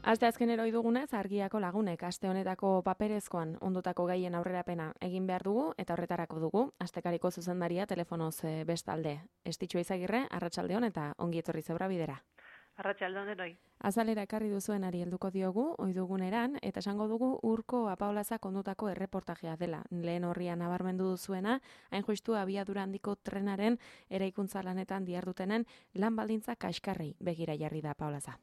Aste azkenero dugunez, argiako lagunek aste honetako paperezkoan ondutako gaien aurrerapena egin behar dugu eta horretarako dugu. Astekariko zuzendaria telefonoz bestalde. Estitxu Izagirre, arratsaldeon eta ongi etorri Zebra Bidera. Arratsaldeon denoi. Azalera ekarri duzuenari helduko diogu, oiduguneran, eta esango dugu Urko Apaolazak ondutako erreportajea dela. Lehen horrian nabarmendu duzuena, hain justu abiadura handiko trenaren eraikuntza lanetan dihardutenen lan baldintza kaskarri begira jarri da Apaolaza.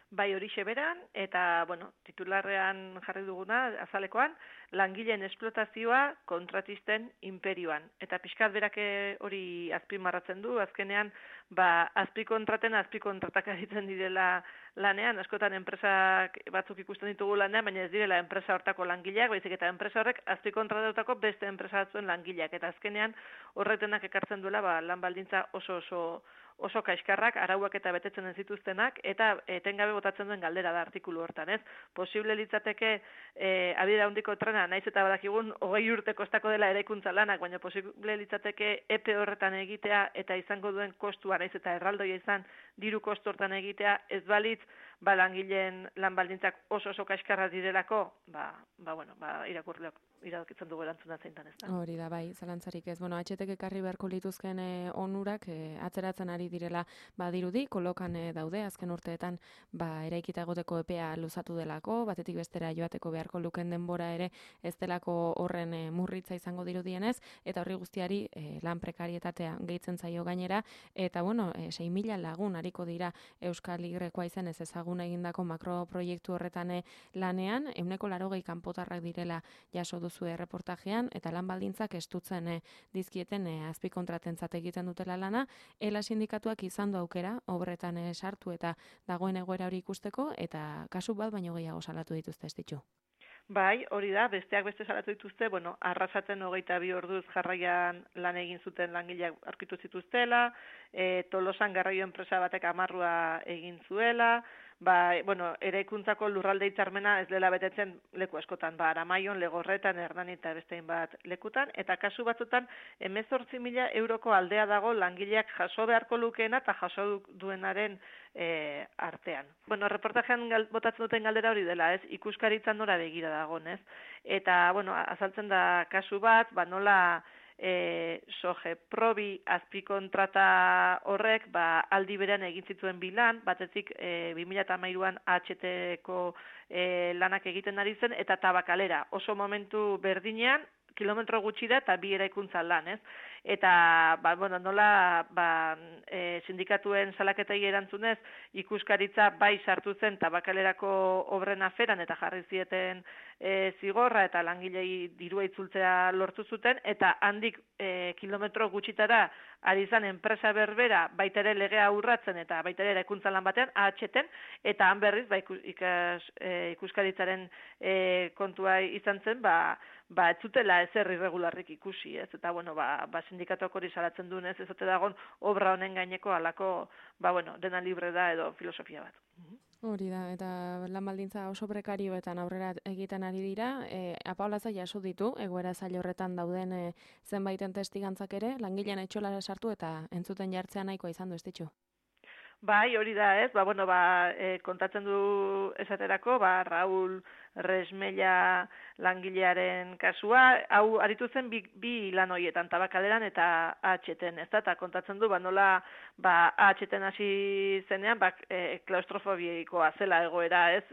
Bai, horixe beran, eta, titularrean jarri duguna, azalekoan, langileen esplotazioa kontratisten imperioan. Eta pixkat berak hori azpimarratzen du, azkenean, azpikontratak egiten direla lanean, askotan enpresak batzuk ikusten ditugu lanean, baina ez direla enpresa hortako langileak, baizik eta enpresa horrek azpikontratatutako beste enpresa batzuen langileak. Eta azkenean horretenak ekartzen duela lan baldintza oso kaiskarrak, arauak eta betetzen ez zituztenak, eta etengabe botatzen duen galdera da artikulu hortan, ez? Posible litzateke abiadura handiko trena, naiz eta badakigun 20 urte kostako dela eraikuntza lanak, baina posible litzateke epe horretan egitea eta izango duen kostua, naiz eta erraldoia izan diru kostu hortan egitea, ez balitz, langileen lan baldintzak oso kaiskarra direlako, irakurleok iradokitzen dugu erantzuna zeintan, ez da? Hori da, bai, zalantzarik ez. Atxetek ekarri beharko lituzken onurak atzeratzen ari direla badirudi, kolokan daude, azken urteetan eraikita egoteko epea luzatu delako, batetik bestera joateko beharko luken denbora ere ez delako horren murritza izango dirudienez, eta horri guztiari lan prekarietatea gehitzen zaio gainera, eta 6.000 lagun hariko dira Euskal Igrekoa izen ez ezagun egindako makroproiektu horretan lanean, 180 kanpotarrak direla jaso duzu erreportajean, eta lan baldintzak estutzen dizkieten azpikontratentzat egiten dutela lana, ELA sindikatuak izan du aukera, obretan sartu eta dagoen egoera hori ikusteko, eta kasu bat baino gehiago salatu dituzte ez ditu. Bai, hori da, besteak beste salatu dituzte, arrasaten 22 orduz jarraian lan egin zuten langileak aurkitu zituztela, Tolosan garraio enpresa batek amarrua egin zuela, eraikuntzako lurralde hitzarmena ez dela betetzen leku askotan, Aramaion, Legorretan, Hernani eta bestein bat lekutan, eta kasu batzutan 18.000 euroko aldea dago langileak jaso beharko lukeena eta jaso duenaren artean. Reportajean botatzen duten galdera hori dela, ez? Ikuskaritzan nora begira dagoen, ez? Eta, azaltzen da kasu bat, nola Sogeprobi azpikontrata horrek aldi berean egin zituen bilan, batetik 2013an AHT-ko lanak egiten ari zen, eta Tabakalera, oso momentu berdinean, kilometro gutxi da eta bi eraikuntza lan, ez? Eta, nola sindikatuen salaketei erantzunez, ikuskaritza bai sartu zen Tabakalerako obren aferan eta jarri zieten zigorra eta langilei dirua itzultzea lortu zuten, eta handik kilometro gutxitara ari zen enpresa berbera baita ere legea urratzen eta baita ere eraikuntza lan batean, AHT-en, eta han berriz ikuskaritzaren kontua izan zen, ez zutela ezer irregularrik ikusi, ez? Eta, sindikatuak hori salatzen duen ez ote dagon obra honen gaineko alako, dena libre da edo filosofia bat. Hori da, eta lan baldintza oso prekarioetan aurrera egiten ari dira, Apaolaza jaso ditu, egoera zail horretan dauden zenbaiten testigantzak ere, langilean etxolara sartu eta entzuten jartzea nahikoa izan du ez ditu? Bai, hori da, ez? Kontatzen du esaterako, Raul Resmella langilearen kasua, hau aritu zen bi lan horietan, Tabakaleran eta AHT-en, ez da? Eta kontatzen du, nola AHT-en hasi zenean, klaustrofobikoa zela egoera, ez?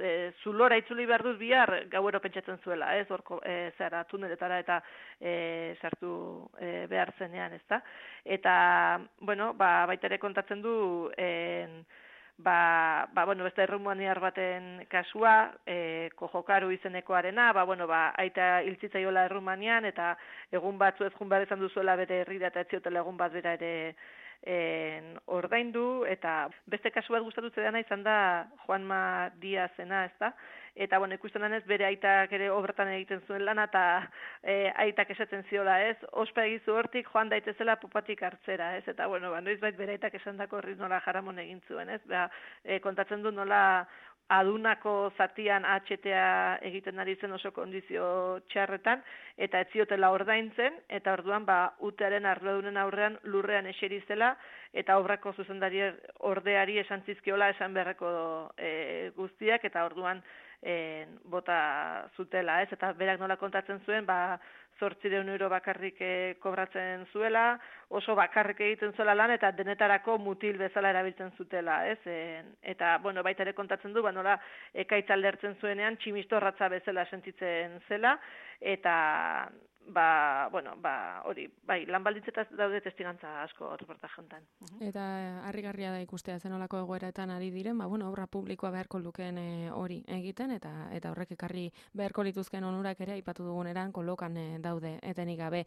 Zulora itzuli behar duz bihar, gauero pentsatzen zuela, ez? Horko, tuneletara eta sartu behar zenean, ez da? Eta, baita ere kontatzen du, beste errumaniar baten kasua, Kojokaru izenekoarena, aita hiltzitzaiola Errumanian, eta egun batzu ez jun behar izan duzuela bere herrira eta etziotela egun bat bera ere ordaindu, eta beste kasu bat gustatu zedana izan da Juanma Diazena, ez da? Eta, ikusten denez, bere aitak ere obretan egiten zuen lana, eta aitak esaten ziola, ez? Ospa egizu hortik, joan daitezela pupatik hartzera, ez? Eta, noiz bait bere aitak esan dako horri nola jaramon egin zuen, ez? Kontatzen du nola adunako zatian AHT-a egiten ari zen oso kondizio txarretan, eta ez ziotela ordaintzen, eta orduan UTEaren arduradunen aurrean lurrean eseri zela, eta obrako zuzendari ordeari esan zizkiola esan beharreko guzti guztiak, eta orduan bota zutela, ez? Eta berak nola kontatzen zuen, 800 euro bakarrik kobratzen zuela, oso bakarrik egiten zuela lan, eta denetarako mutil bezala erabiltzen zutela, ez? Eta, bueno, baita ere kontatzen du, nola ekaitza aldertzen zuenean, tximistorratza bezala sentitzen zela, eta hori, bai, lan baldintzetaz daude testigantza asko reportaje honetan. Eta harrigarria da ikustea zenolako egoeretan ari diren, obra publikoa beharko lukeen hori egiten, eta horrek ekarri beharko lituzken onurak ere aipatu duguneran kolokan daude, etenik gabe.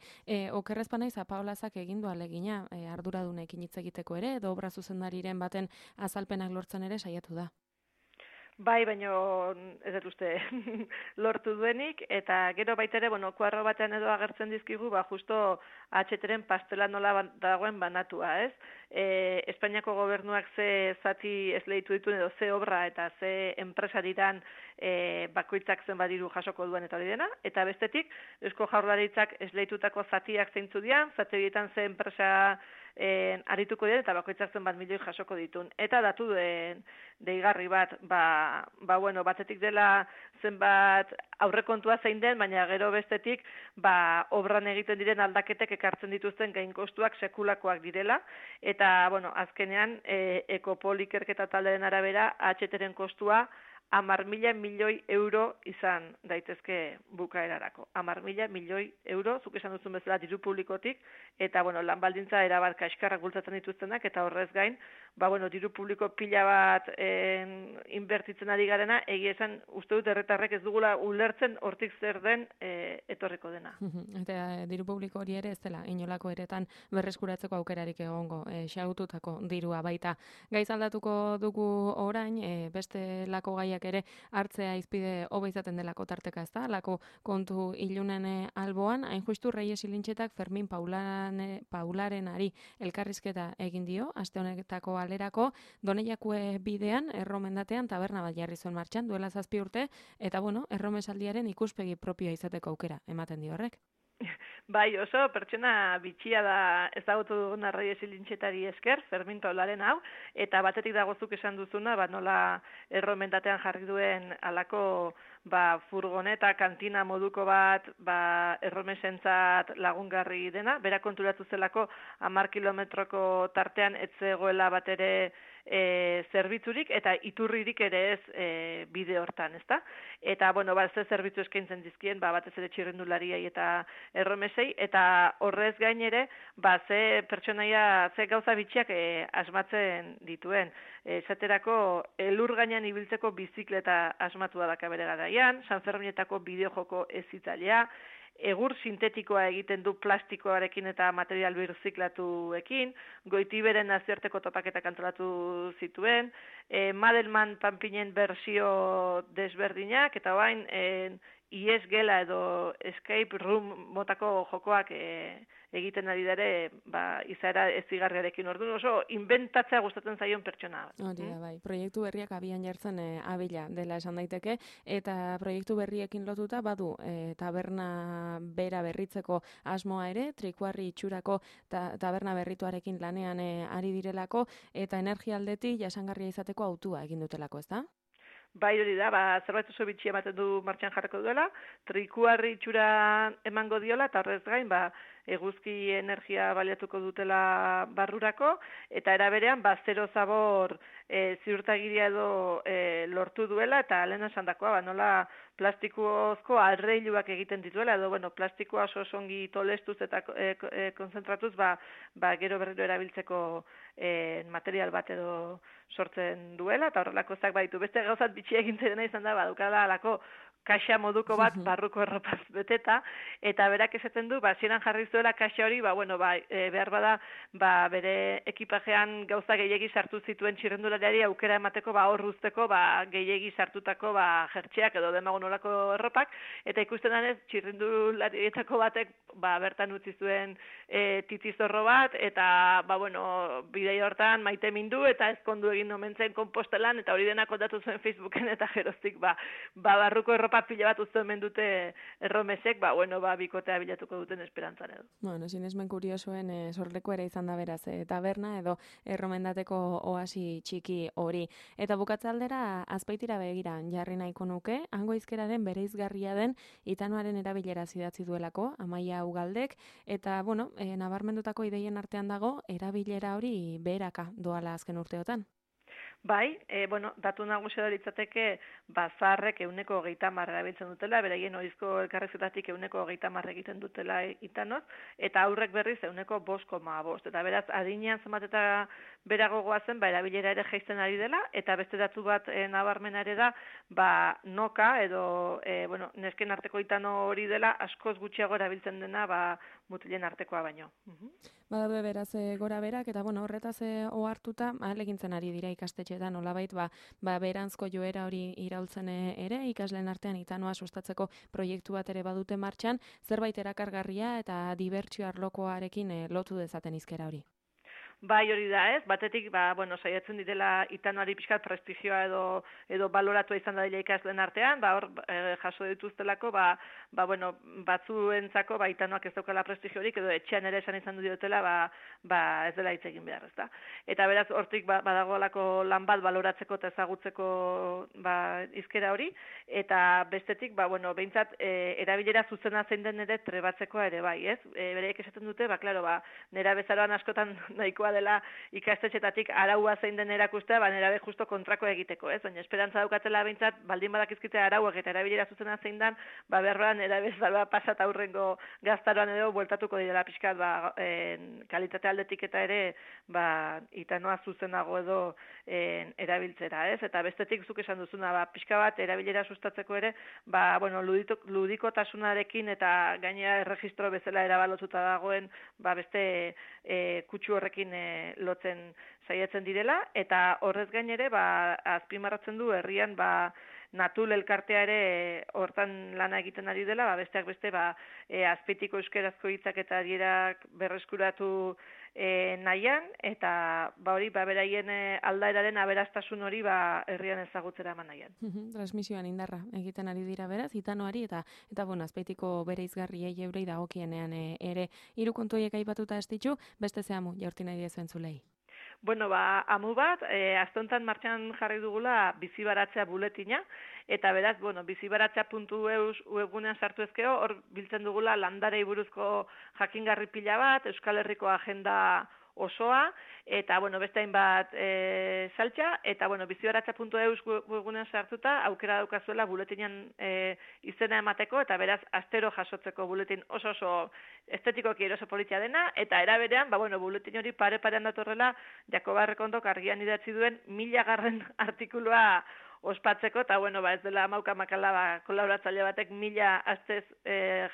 Okerrez panaiz, Paolazak egin du ahalegina arduradunekin hitz egiteko ere, edo obra zuzendariren baten azalpenak lortzen ere saiatu da. Bai, baino ez dut uste lortu duenik, eta gero baita ere, kuadro batean edo agertzen dizkigu, justo HTren pastela nola dagoen banatua, ez? Espainiako gobernuak ze zati esleitu dituen edo ze obra eta ze enpresa diran bakoitzak zenbat diru jasoko duen eta hori dena, eta bestetik, Eusko Jaurlaritzak esleitutako zatiak zeintzu dian, zati horietan ze enpresa arituko dira eta bakoitzak zenbat milioi jasoko ditun. Eta datu deigarri bat, batetik dela zenbat aurrekontua zein den, baina gero bestetik obran egiten diren aldaketek ekartzen dituzten gain kostuak sekulakoak direla, eta azkenean Ekopol ikerketa taldearen arabera HTren kostua 10.000 milioi euro izan daitezke bukaerarako. 10.000 milioi euro, zuk esan duzun bezala diru publikotik, eta lan baldintza erabat kaskarrak bultzatzen dituztenak, eta horrez gain, diru publiko pila bat inbertitzen ari garena, egia esan uste dut herritarrek ez dugula ulertzen hortik zer den etorriko dena. Eta diru publiko hori ere ez dela, inolako eretan berreskuratzeko aukerarik egongo, xaututako dirua baita. Gaiz aldatuko dugu orain, beste lako gaiak ere hartzea izpide hobe izaten delako tarteka, ez da? Lako kontu ilunen alboan, hain justu Reyes Ilintxetak Fermin Paularenari elkarrizketa egin dio, aste honetako alerako, Doneiakue bidean, erromendatean taberna bat jarri zuen martxan, duela 7 urte, eta erromesaldiaren ikuspegi propioa izateko aukera ematen dio horrek. Bai, oso pertsona bitxia da ezagutu duguna Reyes Ilintxetari esker, Fermin Paularen hau, eta batetik dagozuk esan duzuna, nola erromendatean jarri duen alako furgoneta, kantina moduko bat, erromesentzat lagungarri dena, bera konturatu zelako 10 kilometroko tartean ez zegoela bat ere zerbitzurik eta iturririk ere ez bide hortan, ezta? Eta, ze zerbitzu eskaintzen dizkien, batez ere txirrindulariei eta erromesei, eta horrez gain ere, ze pertsonaia, ze gauza bitxiak asmatzen dituen. Esaterako, elur gainean ibiltzeko bizikleta asmatua daka bere garaian, San Ferminetako bideojoko ezitzailea, egur sintetikoa egiten du plastikoarekin eta material birziklatuekin, Goitiberen nazioarteko topaketak antolatu zituen, Madelman Pampinen bersio desberdinak, eta orain IES gela edo escape room motako jokoak egiten ari dare, izaera ezigarriarekin. Orduan oso inventatzea gustatzen zaion pertsona. Hori da, bai. Proiektu berriak abian jartzen abila dela esan daiteke, eta proiektu berriekin lotuta badu taberna bera berritzeko asmoa ere, Trikuarri itxurako taberna berrituarekin lanean ari direlako, eta energia aldetik jasangarria izateko autua egin dutelako, ezta? Bai, hori da, zerbait oso bitxia ematen du martxan jarriko duela, Trikuarri itxura emango diola, eta horrez gain, eguzki energia baliatuko dutela barrurako, eta eraberean, zero zabor ziurtagiria edo lortu duela, eta lehen esan dakoa, nola plastikozko arreiluak egiten dituela, edo, plastikoa oso ongi tolestuz eta konzentratuz, gero berriro erabiltzeko material bat edo sortzen duela, eta horrelako zak baditu. Beste gauzat bitxia egintzen dena izan da, dukala alako kaxa moduko bat barruko erropaz beteta, eta berak esaten du, zieran jarri zuela kaxa hori, behar bada, bere ekipajean gauza gehiegi sartu zituen txirrendulariari aukera emateko, hor usteko, gehiegi sartutako jertxeak edo demago nolako erropak, eta ikusten denez, txirrendularietako batek, bertan utzi zuen titizorro bat, eta, bidei hortan maite mindu, eta ezkondu egin omentzen kompostelan, eta hori dena kontatu zuen Facebooken, eta geroztik, barruko erropa mapa pila bat uzten mendute erromesek, bikotea bilatuko duten esperantzan edo. Bueno, sinesmen kuriosoen sorleku ere izan da beraz, taberna edo erromendateko oasi txiki hori. Eta bukatzaldera Azpeitira begira jarri nahiko nuke, hango hizkeraren bereizgarria den Itanoaren erabilera idatzi duelako, Amaia Ugaldek, eta, nabarmendutako ideien artean dago, erabilera hori beheraka doala azken urteotan. Bai, datu nagusia da litzateke, zaharrek 30% erabiltzen dutela, beraien ohizko elkarrizketatik 30% egiten dutela Itanoz, eta aurrek berriz 5,5%. Eta beraz, adinean zenbat eta berago goazen, erabilera ere jaisten ari dela, eta beste datu bat nabarmena ere da, noka edo, nesken arteko Itano hori dela, askoz gutxiago erabiltzen dena, mutilen artekoa baino. Badaude beraz gora berak, eta horretaz ohartuta, ahalegintzen ari dira ikastetxeetan, nolabait beranzko joera hori iraultzen ere, ikasleen artean Itanoa sustatzeko proiektu bat ere badute martxan, zerbait erakargarria eta dibertsio arlokoarekin lotu dezaten hizkera hori. Bai, hori da, ez? Batetik, saiatzen direla Itanoari pixkat prestigioa edo baloratua izan da dira ikasleen artean, hor jaso dituztelako, batzuentzako Itanoak ez daukala prestigiorik, edo etxean ere esan izan diotela, ez dela hitz egin behar, ezta? Eta beraz, hortik badagoelako lan bat baloratzeko eta ezagutzeko hizkera hori, eta bestetik, behintzat, erabilera zuzena zein den ere trebatzeko ere bai, ez? Bereik esaten dute, nera bezaroan askotan nahikoa dela ikastetxetatik araua zein den erakustea, nerabe justo kontrako egiteko, ez? Baina esperantza daukatela behintzat, baldin badakizkite arauak eta erabilera zuzena zein den, berroan nerabe zaroa pasat aurrengo gaztaroan edo bueltatuko direla pixkat, kalitate aldetik eta ere, Itanoa zuzenago edo erabiltzera, ez? Eta bestetik zuk esan duzuna, pixka bat erabilera sustatzeko ere, ludikotasunarekin eta gainera erregistro bezala erabalotuta dagoen, beste kutsu horrekin lotzen saiatzen direla, eta horrez gainere, azpimarratzen du herrian, Natul elkartea ere hortan lana egiten ari dela, besteak beste, Azpeitiko euskerazko hitzak eta adierak berreskuratu nahian, eta hori, beraien aldaeraren aberastasun hori herrian ezagutzera eman nahian. Transmisioan indarra egiten ari dira beraz, Itanoari, eta Azpeitiko bere izgarriei eurei dagokienean ere. Hiru kontu horiek aipatuta ez ditu, beste zehamu jaurti nahi diezuen zulei. Amu bat, aztontan martxan jarri dugula bizibaratzea buletina, eta beraz, bizibaratzea.eus webgunean sartu ezkeo, hor biltzen dugula landarei buruzko jakingarri pila bat, Euskal Herriko agenda osoa, eta beste hainbat saltza, eta bizibaratzea.eus webgunean sartuta, aukera daukazuela buletinan izena emateko, eta beraz, astero jasotzeko buletin oso estetikoki eroso politia dena, eta eraberean, buletin hori pare-parean datorrela, Jakoba Errekondok argian idatzi duen 1000. Artikulua ospatzeko, eta ez dela makala kolaboratzaile batek 1000 astez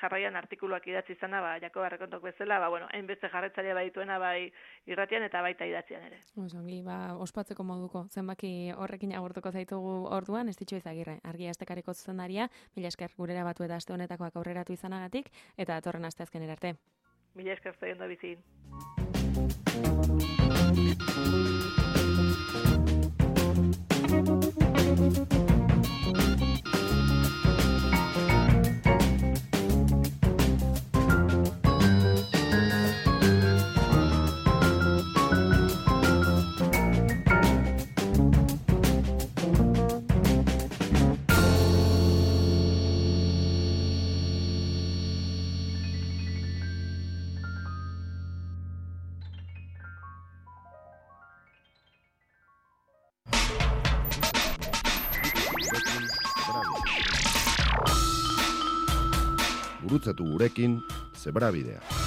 jarraian artikuluak idatzi izana, Jakoba Errekondok bezala, hainbeste jarraitzaile badituena irratian eta baita idatzian ere. Osongi, ospatzeko moduko, zenbaki horrekin agurtuko zaitugu orduan, Estitxo Izagirre, argia astekariko zuzendaria, mila esker gurera batu eta aste honetakoak aurreratu izanagatik, eta datorren asteazkenera arte. Mila esker zaion da bizi. Gurutzatu gurekin Zebrabidea.